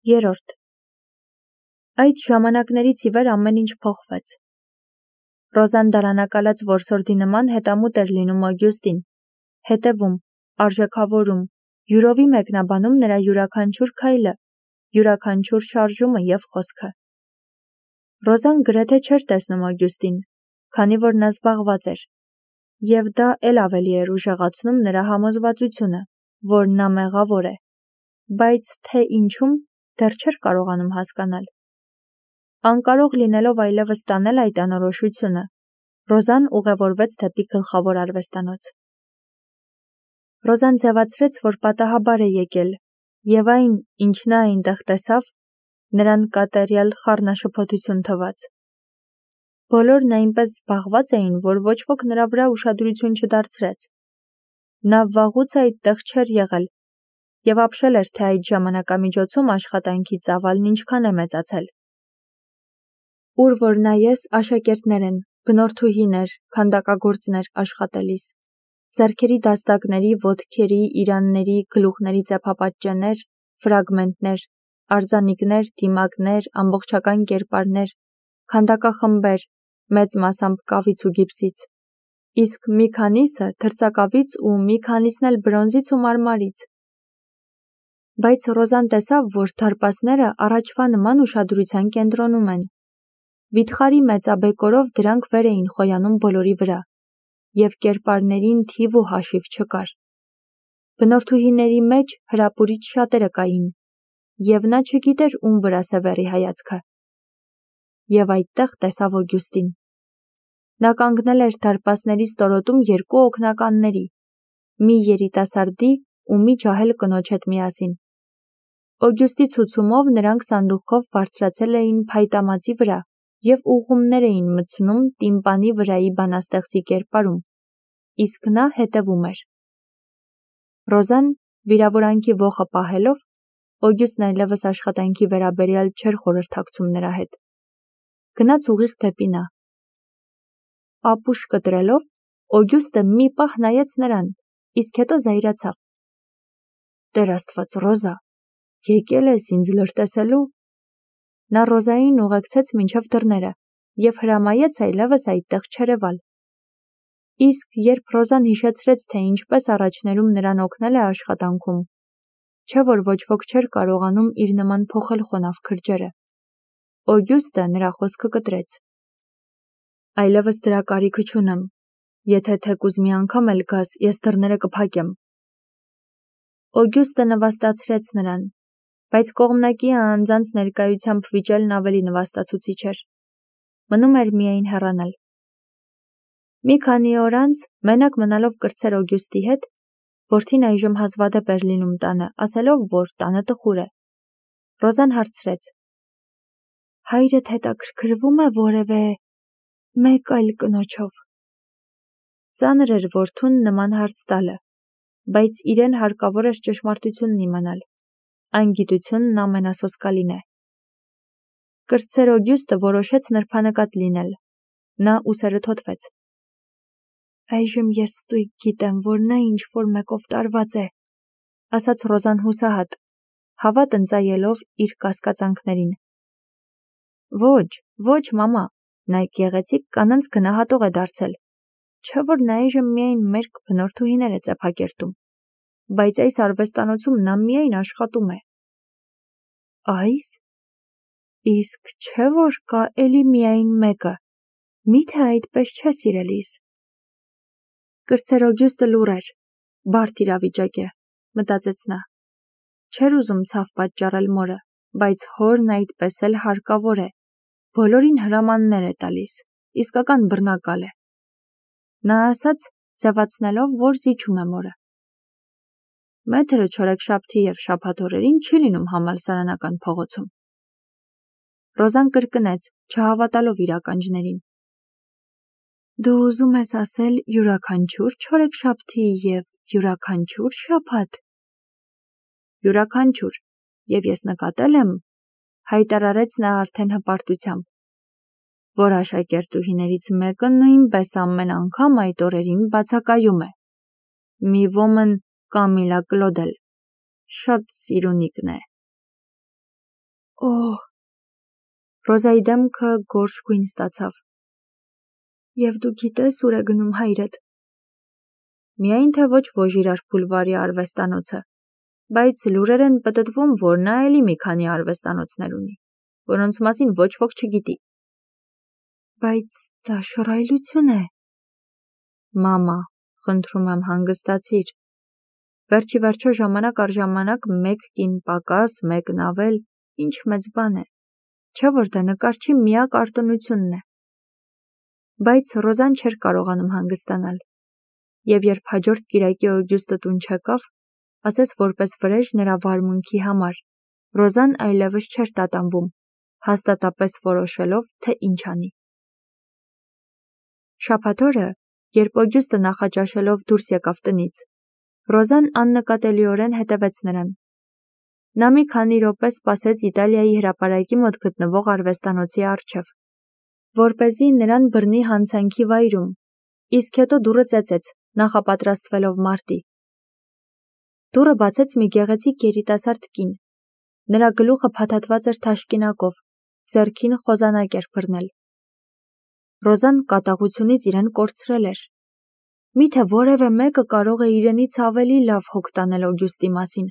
3. Այդ ժամանակներից ի վեր ամեն ինչ փոխվեց։ Ռոզան դարանակալած որսորդի նման հետամուտ էր լինում Օգյուստին, հետևում, արժեքավորում, յուրովի մեկնաբանում նրա յուրաքանչյուր քայլը, յուրաքանչյուր շարժումը և խոսքը։ Ռոզան գրեթե չէր տեսնում Օգյուստին, քանի որ նա զբաղված էր, և դա էլ ավելի էր ուժեղացնում նրա համոզվածությունը, որ նա մեղավոր է, բայց թե ինչում դեռ չէր կարողանում հասկանալ։ Անկարող լինելով այլևս տանել այդ անորոշությունը, Ռոզան ուղևորվեց դեպի գլխավոր արվեստանոց։ Ռոզան ձևացրեց, որ պատահաբար է եկել, և այն, ինչ նա այնտեղ տեսավ, նրան կատարյալ խառնաշփոթություն թվաց։ Բոլորն այնպես զբաղված էին, որ ոչ ոք նրա վրա ուշադրություն չդարձրեց։ Նա վաղուց այդտեղ չէր եղել և ապշել էր, թե այդ ժամանակամիջոցում աշխատանքի ծավալն ինչքան է մեծացել։ Ուր որ նայես, աշակերտներ են, բնորդուհիներ, քանդակագործներ աշխատելիս, ձեռքերի դաստակների, ոտքերի, իրանների, գլուխների ծեփապատճեններ, ֆրագմենտներ, արձանիկներ, դիմակներ, ամբողջական կերպարներ, քանդակախմբեր, մեծ մասամբ կավից ու գիպսից, իսկ մի քանիսը թրծակավից ու մի քանիսն էլ բրոնզից ու մարմարից։ Բայց Ռոզան տեսավ, որ դարպասները առաջվա նման ուշադրության կենտրոնում են։ Վիթխարի մեծաբեկորով դրանք վեր էին խոյանում բոլորի վրա, և կերպարներին թիվ ու հաշիվ չկար։ Բնորդուհիների մեջ հրապուրիչ շատերը կային, և նա չգիտեր ում վրա սևեռի հայացքը։ Եվ այդտեղ տեսավ Օգյուստին։ Նա կանգնել էր դարպասների ստորոտում երկու օգնականների, մի երիտասարդի ու մի ջահել կնոջ հետ միասին։ Օգյուստի ցուցումով նրանք սանդուղքով բարձրացել էին փայտամածի վրա և ուղղումներ էին մտցնում տիմպանի վրայի բանաստեղծի կերպարում, իսկ նա հետևում էր։ Ռոզան, վիրավորանքի ոխը պահելով, Օգյուստն այլևս աշխատանքի վերաբերյալ չէր խորհրդակցում նրա հետ, գնաց ուղիղ դեպի նա։ Ապուշ կտրելով, Օգյուստը մի պահ նայեց նրան, իսկ հետո զայրացավ։ Տեր Աստված, Ռոզա, եկել ես ինձ լրտեսելու։ Նա Ռոզային ուղեկցեց մինչև դռները և հրամայեց այլևս այդտեղ չերևալ։ Իսկ երբ Ռոզան հիշեցրեց, թե ինչպես առաջներում նրան օգնել է աշխատանքում, չէ որ ոչ ոք չէր կարողանում իր նման փոխել խոնավ քրջերը, Օգյուստը նրա խոսքը կտրեց։ Այլևս դրա կարիքը չունեմ, եթե թեկուզ մի անգամ էլ գաս, ես դռները կփակեմ։ Օգյուստը նվաստացրեց նրան, բայց կողմնակի անձանց ներկայությամբ վիճելն ավելի նվաստացուցիչ էր։ Մնում էր միայն հեռանալ։ Մի քանի օր անց, մենակ մնալով կրտսեր Օգյուստի հետ, որդին այժմ հազվադեպ էր լինում տանը, ասելով, որ տանը տխուր է։ Ռոզան հարցրեց. Հայրդ հետաքրքրվում է որևէ մեկ այլ կնոջով։ Ծանր էր որդուն նման հարց տալը, բայց իրեն հարկավոր էր ճշմարտությունն իմանալ։ Անգիտությունն ամենասոսկալին է։ Կրտսեր Օգյուստը որոշեց նրբանկատ լինել։ Նա ուսերը թոթվեց։ Այժմ ես ստույգ գիտեմ, որ նա ինչ-որ մեկով տարված է, ասաց Ռոզան հուսահատ, հավատ ընծայելով իր կասկածանքներին։ Ոչ, մամա, նա գեղեցիկ կանանց գնահատող է դարձել, չէ որ նա այժմ միայն մերկ բնորդուհիներ է ծեփակերտում, բայց այս արվեստանոցում նա միայն աշխատում է։ Այս։ Իսկ չէ որ կա էլի միայն մեկը, միթե այդպես չէ սիրելիս։ Կրտսեր Օգյուստը լուռ էր, բարդ իրավիճակ է, մտածեց նա։ Չէր ուզում ցավ պատճառել մորը, բայց հորն այդպես էլ հարկավոր է, բոլորին հրամաններ է տալիս, իսկական բռնակալ է։ Նա ասաց, ձևացնելով, որ զիջում է մորը։ Մեթրը չորեքշաբթի և շաբաթ օրերին չի լինում համալսարանական փողոցում։ Ռոզան կրկնեց, չհավատալով իր ականջներին։ Դու ուզում ես ասել յուրաքանչյուր չորեքշաբթի և յուրաքանչյուր շաբաթ։ Յուրաքանչյուր, և ես նկատել եմ, հայտարարեց նա արդեն հպարտությամբ, որ աշակերտուհիներից մեկը նույնպես ամեն անգամ այդ օրերին բացակայում է։ Մի ոմն Կամիլա Կլոդել, շատ սիրունիկն է։ Օհ, Ռոզայի դեմքը գորշ գույն ստացավ։ Եվ դու գիտես ուր է գնում հայրդ։ Միայն թե ոչ Վոժիրար Բուլվարի արվեստանոցը, բայց լուրեր են պտտվում, որ նա էլի մի քանի արվեստանոցներ ունի, որոնց մասին ոչ ոք չգիտի։ Բայց դա շռայլություն է։ Մամա, խնդրում եմ հանգստացիր։ Վերջի վերջո ժամանակ առ ժամանակ մեկ կին պակաս, մեկն ավել, ինչ մեծ բան է, չէ՞ որ դա նկարչի միակ արտոնությունն է։ Բայց Ռոզան չէր կարողանում հանգստանալ, և երբ հաջորդ կիրակի Օգյուստը տուն չեկավ, ասես որպես վրեժ նրա վարմունքի համար, Ռոզան այլևս չէր տատանվում, հաստատապես որոշելով, թե ինչ անի։ Շաբաթ օրը, երբ Օգյուստը նախաճաշելով դուրս եկավ տնից, Ռոզան աննկատելիորեն հետևեց նրան։ Նա մի քանի րոպե սպասեց Իտալիայի հրապարակի մոտ գտնվող արվեստանոցի առջև, որպեսզի նրան բռնի հանցանքի վայրում, իսկ հետո դուռը ծեծեց, նախապատրաստվելով մարտի։ Դուռը բացեց մի գեղեցիկ երիտասարդ կին։ Նրա գլուխը փաթաթված էր թաշկինակով, ձեռքին խոզանակ էր բռնել։ Ռոզան կատաղությունից իրեն կորցրել էր։ Միթե որևէ մեկը կարող է իրենից ավելի լավ հոգ տանել Օգյուստի մասին։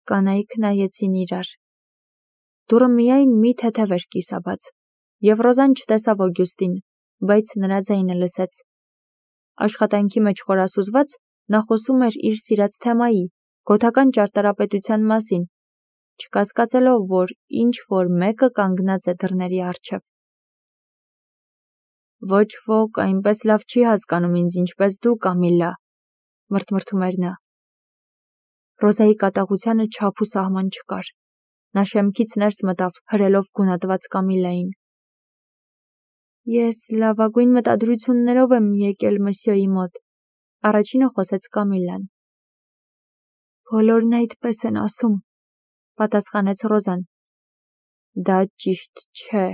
Կանայք նայեցին իրար։ Դուռը միայն մի թեթև էր կիսաբաց, և Ռոզան չտեսավ Օգյուստին, բայց նրա ձայնը լսեց։ Աշխատանքի մեջ խորասուզված, նա խոսում էր իր սիրած թեմայի, գոթական ճարտարապետության մասին, չկասկածելով, որ ինչ-որ մեկը կանգնած է դռների առջև։ Ոչ ոք այնպես լավ չի հասկանում ինձ, ինչպես դու, Կամիլլա, մրթմրթում էր նա։ Ռոզայի կատաղությանը չափ ու սահման չկար։ Նա շեմքից ներս մտավ, հրելով գունատված Կամիլլային։ Ես լավագույն մտադրություններով եմ եկել մսյոյի մոտ, առաջինը խոսեց Կամիլլան։ Բոլորն այդպես են ասում, պատասխանեց Ռոզան։ Դա ճիշտ չէ։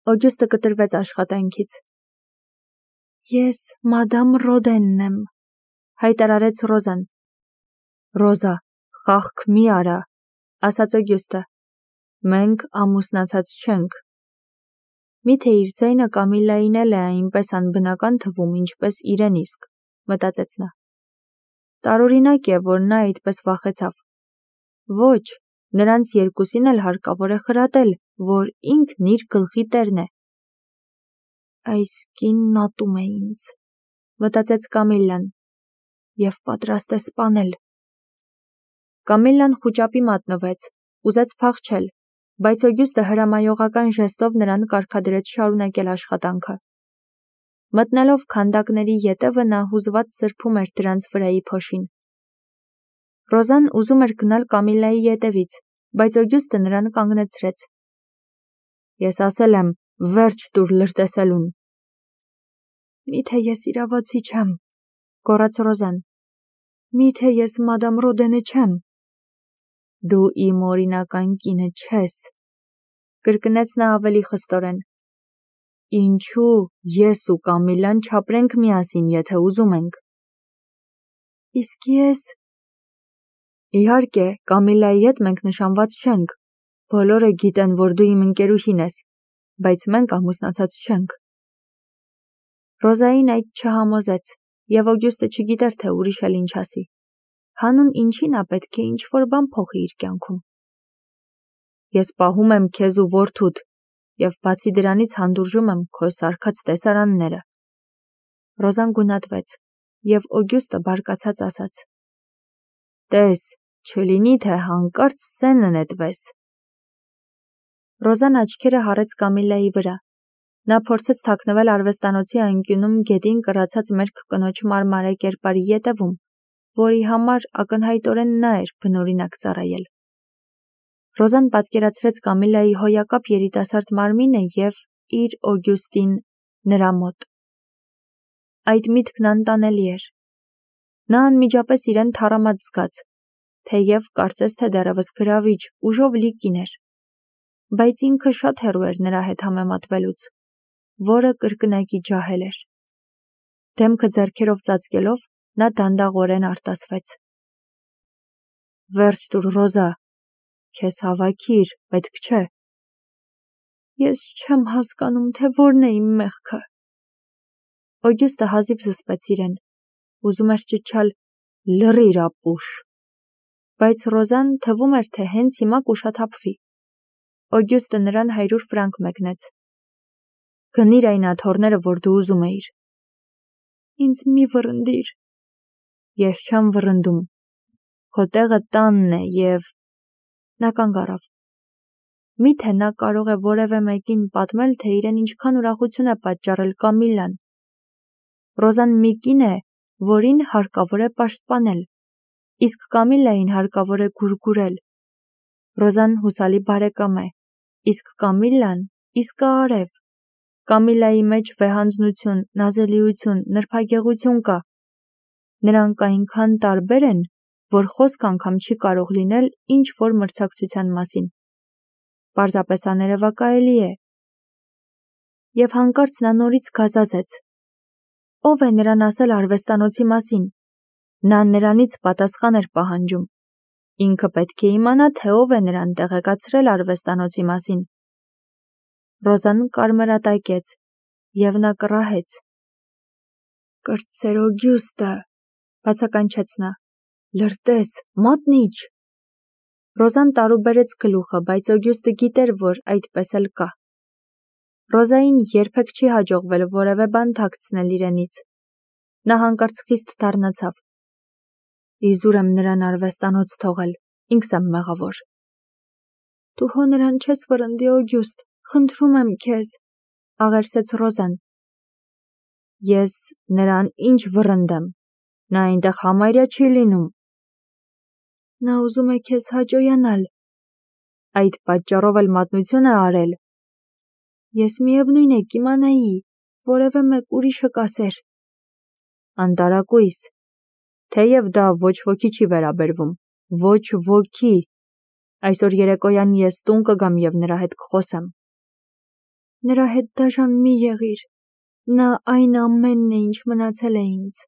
Օգյուստը կտրվեց աշխատանքից։ Ես մադամ Ռոդենն եմ, հայտարարեց Ռոզան։ Ռոզա, խաղք մի արա, ասաց Օգյուստը։ Մենք ամուսնացած չենք։ Միթե իր ձայնը Կամիլլային էլ է այնպես անբնական թվում, ինչպես իրեն իսկ, մտածեց նա։ Տարօրինակ է, որ նա այդպես վախեցավ։ Ոչ, նրանց երկուսին էլ հարկավոր է խրատել, որ ինքն իր գլխի տերն է։ Այս կինն ատում է ինձ, մտածեց Կամիլլան, և պատրաստ է սպանել։ Կամիլլան խուճապի մատնվեց, ուզեց փախչել, բայց Օգյուստը հրամայողական ժեստով նրան կարգադրեց շարունակել աշխատանքը։ Մտնելով քանդակների ետևը նա հուզված սրբում էր դրանց վրայի փոշին։ Ռոզան ուզում էր գնալ Կամիլլայի ետևից, բայց Օգյուստը նրան կանգնեցրեց։ Ես ասել եմ, վերջ տուր լրտեսելուն։ Միթե ես իրավացի չեմ, գոռաց Ռոզան։ Միթե ես մադամ Ռոդենը չեմ։ Դու իմ օրինական կինը չես, կրկնեց նա ավելի խստորեն։ Ինչու ես ու Կամիլլան չապրենք միասին, եթե ուզում ենք։ Իսկ ես… Իհարկե, Կամիլլայի հետ մենք նշանված չենք։ Բոլորը գիտեն, որ դու իմ ընկերուհին ես, բայց մենք ամուսնացած չենք։ Ռոզային այդ չհամոզեց, և Օգյուստը չգիտեր, թե ուրիշ էլ ինչ ասի։ Հանուն ինչի նա պետք է ինչ-որ բան փոխի իր կյանքում։ Ես պահում եմ քեզ ու որդուդ, և բացի դրանից հանդուրժում եմ քո սարքած տեսարանները։ Ռոզան գունատվեց, և Օգյուստը բարկացած ասաց. Տես, չլինի, թե հանկարծ սենը նետվես։ Ռոզան աչքերը հառեց Կամիլլայի վրա։ Նա փորձեց թաքնվել արվեստանոցի անկյունում գետին կռացած մերկ կնոջ մարմարե կերպարի ետևում, որի համար ակնհայտորեն նա էր բնօրինակ ծառայել։ Ռոզան պատկերացրեց Կամիլլայի հոյակապ երիտասարդ մարմինը և իր Օգյուստին նրա մոտ։ Այդ միտքն անտանելի էր։ Նա անմիջապես իրեն թառամած զգաց, թեև կարծես թե դեռևս գրավիչ, ուժով լի կին էր, բայց ինքը շատ հեռու էր նրա հետ համեմատվելուց, որը կրկնակի ջահել էր։ Դեմքը ձեռքերով ծածկելով, նա դանդաղորեն արտասվեց. Վերջ տուր, Ռոզա, Քեզ հավաքիր, պետք չէ։ Ես չեմ հասկանում, թե որն է իմ մեղքը։ Օգյուստը հազիվ զսպեց իրեն, ուզում էր ճչալ լռիր ապուշ, բայց Ռոզան թվում էր, թե հենց հիմա կուշաթափվի։ Օգյուստը նրան 100 ֆրանկ մեկնեց։ Գնիր այն աթոռները, որ դու ուզում էիր։ Ինձ մի վռնդիր։ Ես չեմ վռնդում։ Քո տեղը տանն է և… Նա կանգ առավ։ Միթե նա կարող է որևէ մեկին պատմել, թե իրեն ինչքան ուրախություն է պատճառել Կամիլլան։ Ռոզան մի կին է, որին հարկավոր է պաշտպանել, իսկ Կամիլլային հարկավոր է գուրգուրել։ Ռոզան հուսալի բարեկամ է, իսկ Կամիլլան իսկաարև։ Կամիլլայի մեջ վեհանձնություն, նազելիություն, նրբագեղություն կա։ Նրանք այնքան տարբեր են, որ խոսք անգամ չի կարող լինել ինչ-որ մրցակցության մասին։ Պարզապես աներևակայելի է։ Եվ հանկարծ նա նորից գազազեց։ Ո՞վ է նրան ասել արվեստանոցի մասին։ Նա նրանից պատասխան էր պահանջում։ Ինքը պետք է իմանա, թե ով է նրան տեղեկացրել արվեստանոցի մասին։ Ռոզան կարմրատակեց, և նա կռահեց։ Կրտսեր Օգյուստը, բացականչեց նա, լրտես, մատնիչ։ Ռոզան տարուբերեց գլուխը, բայց Օգյուստը գիտեր, որ այդպես էլ կա։ Ռոզային երբեք չի հաջողվել որևէ բան թաքցնել իրենից։ Նա հանկարծ խիստ դառնացավ։ Իզուր եմ նրան արվեստանոց թողել, ինքս եմ մեղավոր։ Դու հո նրան չես վռնդի, Օգյուստ, խնդրում եմ քեզ, աղերսեց Ռոզան։ Ես նրան ինչ վռնդեմ, նա այնտեղ համարյա չի լինում։ Նա ուզում է քեզ հաճոյանալ։ Այդ պատճառով էլ մատնություն է արել։ Ես միևնույն է կիմանայի, որևէ մեկ ուրիշը կասեր։ Անտարակույս, թեև դա ոչ ոքի չի վերաբերվում, ոչ ոքի։ Այսօր երեկոյան ես տուն կգամ և նրա հետ կխոսեմ։ Նրա հետ դաժան մի եղիր, նա այն ամենն է, ինչ մնացել է ինձ։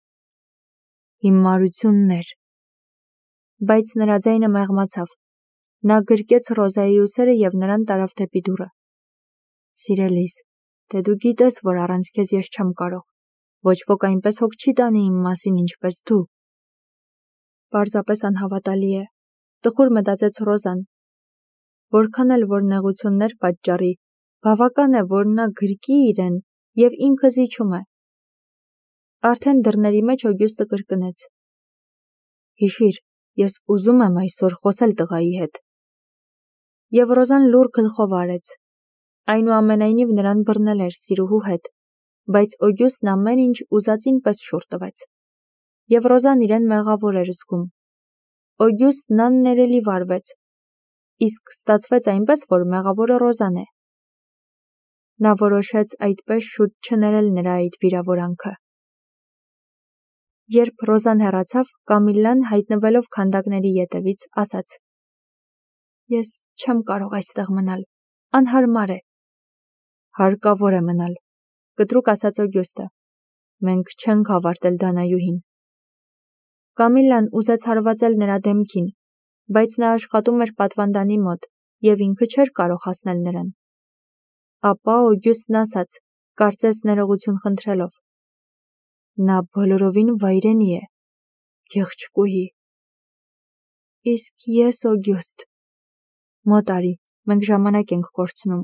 Հիմարություններ։ Բայց նրա ձայնը մեղմացավ։ Նա գրկեց Ռոզայի ուսերը և նրան տարավ դեպի դուռը։ Սիրելիս, թե դու գիտես, որ առանց քեզ ես չեմ կարող։ Ոչ ոք այնպես հոգ չի տանի իմ մասին, ինչպես դու։ Պարզապես անհավատալի է, տխուր մտածեց Ռոզան։ Որքան էլ որ նեղություններ պատճառի, բավական է, որ նա գրկի իրեն և ինքը զիջում է։ Արդեն դռների մեջ Օգյուստը կրկնեց. Հիշիր, ես ուզում եմ այսօր խոսել տղայի հետ։ Եվ Ռոզան լուռ գլխով արեց։ Այնուամենայնիվ նրան բռնել էր սիրուհու հետ, բայց Օգյուստն ամեն ինչ ուզածին պես շուռ տվեց։ Եվ Ռոզան իրեն մեղավոր էր զգում։ Օգյուստն աններելի վարվեց, իսկ ստացվեց այնպես, որ մեղավորը Ռոզան է։ Նա որոշեց այդպես շուտ չներել նրա այդ վիրավորանքը։ Երբ Ռոզան հեռացավ, Կամիլլան, հայտնվելով քանդակների ետևից, ասաց. Ես չեմ կարող այստեղ մնալ, անհարմար է։ Հարկավոր է մնալ, կտրուկ ասաց Օգյուստը։ Մենք չենք հավարտել Դանայուհին։ Կամիլլան ուզեց հարվածել նրա դեմքին, բայց նա աշխատում էր պատվանդանի մոտ և ինքը չէր կարող հասնել նրան։ Ապա Օգյուստն ասաց, կարծես ներողություն խնդրելով. Նա բոլորովին վայրենի է, գեղչկուհի։ Իսկ ես, Օգյուստ, մոտ արի, մենք ժամանակ ենք կորցնում։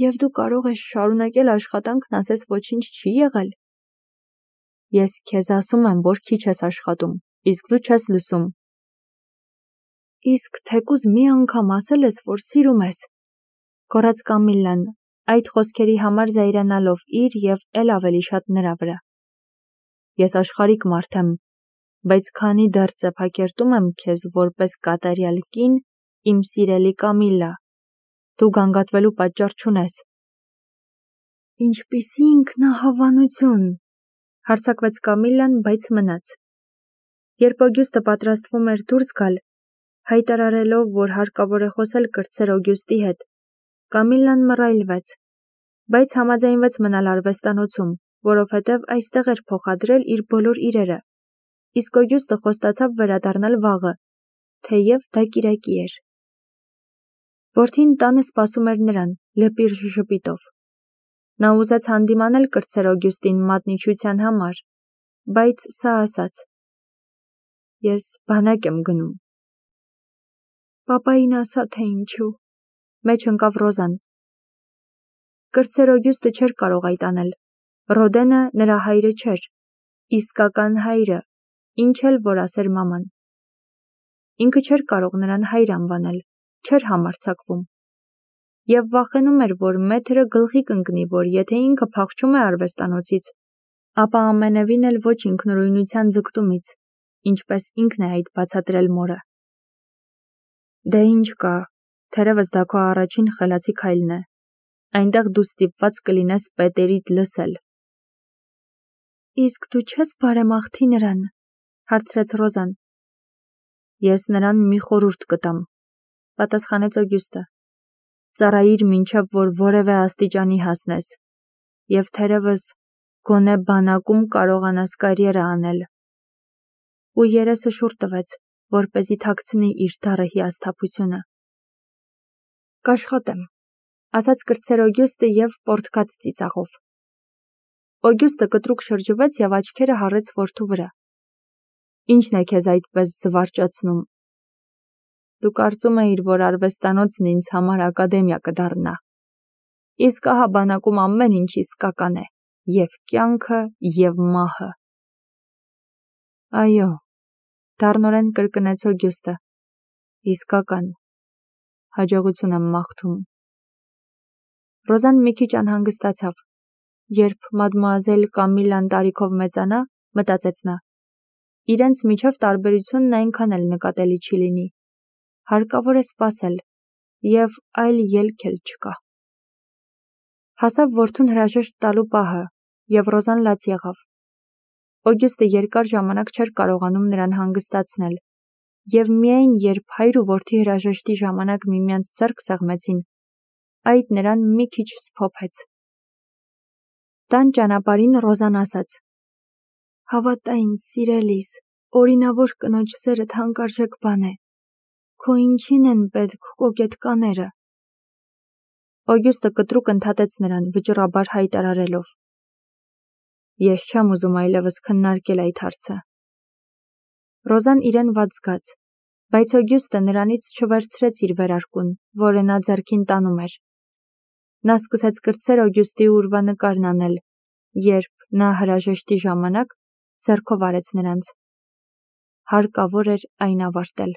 Եվ դու կարող ես շարունակել աշխատանքն, ասես ոչինչ չի եղել։ Ես քեզ ասում եմ, որ քիչ ես աշխատում, իսկ դու չես լսում։ Իսկ թեկուզ մի անգամ ասել ես, որ սիրում ես, գոռաց Կամիլլան, այդ խոսքերի համար զայրանալով իր և էլ ավելի շատ նրա վրա։ Ես աշխարհիկ մարդ եմ, բայց քանի դեռ ծեփակերտում եմ քեզ որպես կատարյալ կին, իմ սիրելի Կամիլլա, դու գանգատվելու պատճառ չունես։ Ինչպիսի ինքնահավանություն, հարձակվեց Կամիլլան, բայց մնաց։ Երբ Օգյուստը պատրաստվում էր դուրս գալ, հայտարարելով, որ հարկավոր է խոսել կրտսեր Օգյուստի հետ, Կամիլլան մռայլվեց, բայց համաձայնվեց մնալ արվեստանոցում, որովհետև այստեղ էր փոխադրել իր բոլոր իրերը, իսկ Օգյուստը խոստացավ վերադառնալ վաղը, թեև դա կիրակի էր։ Որդին տանը սպասում էր նրան, լպիր շշպիտով։ Նա ուզեց հանդիմանել կրտսեր Օգյուստին մատնիչության համար, բայց սա ասաց. «Ես բանակ եմ գնում»։ Պապային ասա, թե ինչու, մեջ ընկավ Ռոզան։ Կրտսեր Օգյուստը չէր կարող այդ անել։ Ռոդենը նրա հայրը չէր, իսկական հայրը, ինչ էլ որ ասեր մաման։ Ինքը չէր կարող նրան հայր անվանել, չէր համարձակվում։ Եվ վախենում էր, որ մեթրը գլխի կընկնի, որ եթե ինքը փախչում է արվեստանոցից, ապա ամենևին էլ ոչ ինքնուրույնության ձգտումից, ինչպես ինքն է այդ բացատրել մորը։ Դե ինչ կա, թերևս դա քո առաջին խելացի քայլն է։ Այնտեղ դու ստիպված կլինես պետերիդ լսել։ Իսկ դու չես բարեմաղթի նրան, հարցրեց Ռոզան։ Ես նրան մի խորհուրդ կտամ, պատասխանեց Օգյուստը։ Ծառայիր մինչև որ որևէ աստիճանի հասնես, և թերևս գոնե բանակում կարողանաս կարիերա անել։ Ու երեսը շուռ տվեց, որպեսզի թաքցնի իր դառը հիասթափությունը։ Կաշխատեմ, ասաց կրտսեր Օգյուստը և պոռթկաց ծիծաղով։ Օգյուստը կտրուկ շրջվեց և աչքերը հառեց որդու վրա։ Ինչն է քեզ այդպես զվարճացնում։ Դու կարծում էիր, որ արվեստանոցն ինձ համար ակադեմիա կդառնա։ Իսկ ահա բանակում ամեն ինչ իսկական է, և կյանքը, և մահը։ Այո, դառնորեն կրկնեց Օգյուստը։ Իսկական։ Հաջողություն եմ մաղթում։ Ռոզան մի քիչ անհանգստացավ։ Երբ մադմուազել Կամիլան տարիքով մեծանա, մտածեց նա, իրենց միջև տարբերությունն այնքան էլ նկատելի չի լինի։ Հարկավոր է սպասել, և այլ ելք էլ չկա։ Հասավ որդուն հրաժեշտ տալու պահը, և Ռոզան լաց եղավ։ Օգյուստը երկար ժամանակ չէր կարողանում նրան հանգստացնել, և միայն երբ հայր ու որդի հրաժեշտի ժամանակ միմյանց ձեռք սեղմեցին, այդ նրան մի քիչ սփոփեց։ Տան ճանապարհին Ռոզան ասաց. Հավատա ինձ, սիրելիս, օրինավոր կնոջ սերը թանկարժեք բան է։ Քո ինչին են պետք կոկետ կաները։ Օգյուստը կտրուկ ընդհատեց նրան, վճռաբար հայտարարելով. Ես չեմ ուզում այլևս քննարկել այդ հարցը։ Ռոզան իրեն վատ զգաց, բայց Օգյուստը նրանից չվերցրեց իր վերարկուն, որը նա ձեռքին տանում էր։ Նա սկսեց կրտսեր Օգյուստի ուրվանկարն անել, երբ նա հրաժեշտի ժամանակ ձեռքով արեց նրանց։ Հարկավոր էր այն ավարտել։